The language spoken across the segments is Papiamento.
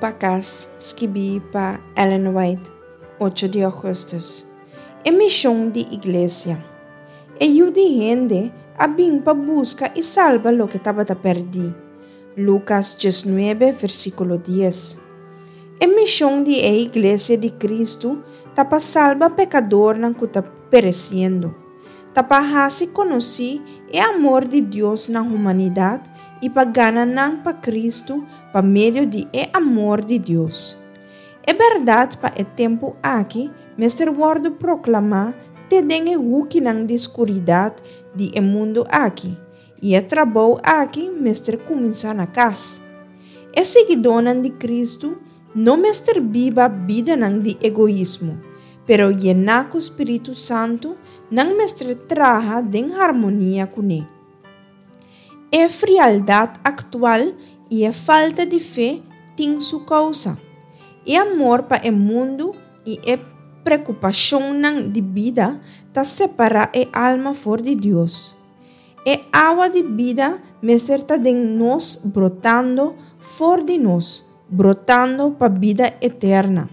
pa Kas, skibí pa Ellen White, ocho di ougùstùs. E mishon di Iglesia. E Yu di hende a bin pa buska i salba loke tabata pèrdí. Lukas diesnuebe, versíkulo dies. E mishon di e Iglesia di Kristu ta pa salba pekadornan ku ta peresiendo. Ta pa hasi konosí e amor di Dios na humanidat i pa gana nan pa Kristu pa medio di e amor di Dios. E bèrdat pa e tempu aki mester wòrdu proklamá te den e hukinan di skuridat di e mundu aki, i e trabou aki mester kuminsá na kas. E siguidónan di Kristu no mester biba bidanan di egoismo, pero yená ku spiritu santu nan mester traha den harmonia kuné. E frialdat aktual i e falta di fe tin su kousa. E amor pa e mundu i e prekupashonnan di bida ta separá e alma for di Dios. E awa di bida mester ta den nos brotando for di nos, brotando pa bida eterna.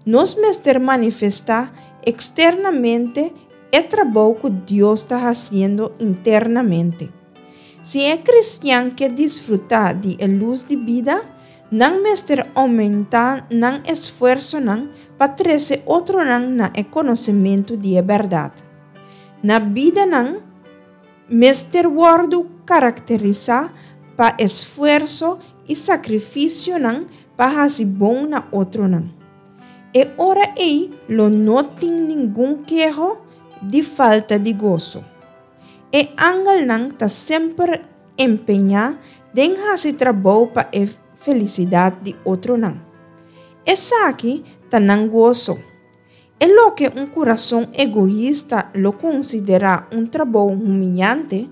Nos mester manifestá eksternamente e trabou ku Dios ta hasiendo internamente. Si e kristian ke disfrutá di e lus di bida, nan mester oumentá nan esfuersonan pa trese otronan na e konosementu di e bèrdat. Na bidanan mester wòrdu karakterisá pa esfuerso i sakrifisionan pa hasi bon na otronan. E ora ei lo no tin ningun keho di falta di goso. E angelnan ta semper empeñá den hasi trabou pa e felisidat di otronan. Esaki ta nan goso. E loke un kurason egoista lo konsiderá un trabou humiyante,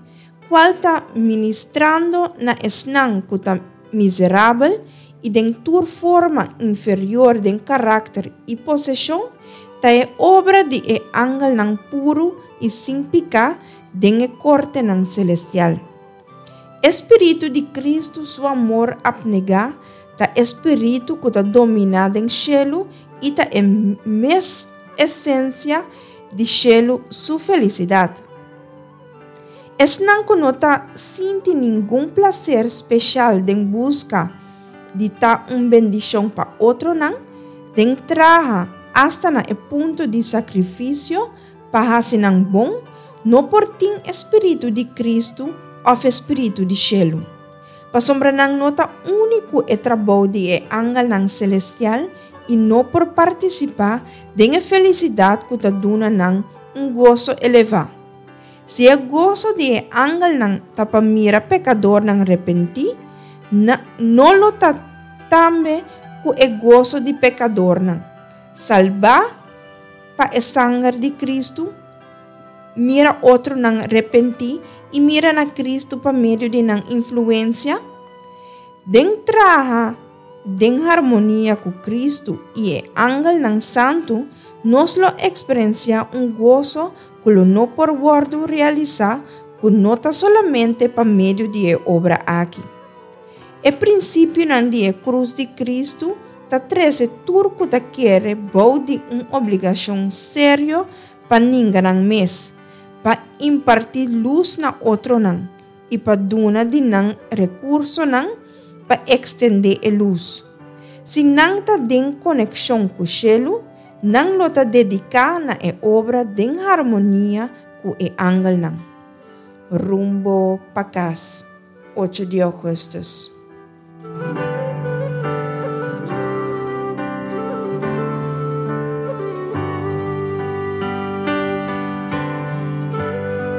kual ta ministrando na esnan ku ta miserabel i den tur forma inferior den karakter i poseshon, ta e obra di e angelnan puru i sin piká den e kortenan selestial. E spiritu di Kristu su amor apnegá ta e spiritu ku ta dominá den shelu i ta e mes esensia di shelu su felisidat. Esnan ku no ta sinti ningun plaser speshal den buska di ta un bendishon pa otronan, den traha asta na e punto di sakrifisio pa hasi nan bon, no por tin e spiritu di Kristu òf e spiritu di shelu. Pasobra nan no ta uni ku e trabou di e angelnan selestial i no por partisipá den e felisidat ku ta duna nan un goso elevá. Si e goso di e angelnan ta pa mira pekadornan repentí, na no lo ta tambe ku e goso di pekadornan salbá pa e sanger di Kristu? Mira otronan repentí i mira na Kristu pa medio di nan influensia? Den traha den harmonia ku Kristu i e angelnan santu, nos lo eksperensiá un goso ku lo no por wòrdu realisá ku no ta solamente pa medio di e obra aki. E prinsipionan di e krus di Kristu ta trese tur ku ta kere bou di un obligashon serio pa ninga nan mes, pa impartí lus na otronan i pa duna di nan rekursonan pa ekstendé e lus. Si nan ta den konekshon ku shelu, nan lo ta dediká na e obra den harmonia ku e angelnan. Rumbo pa kas, ocho di ougùstùs.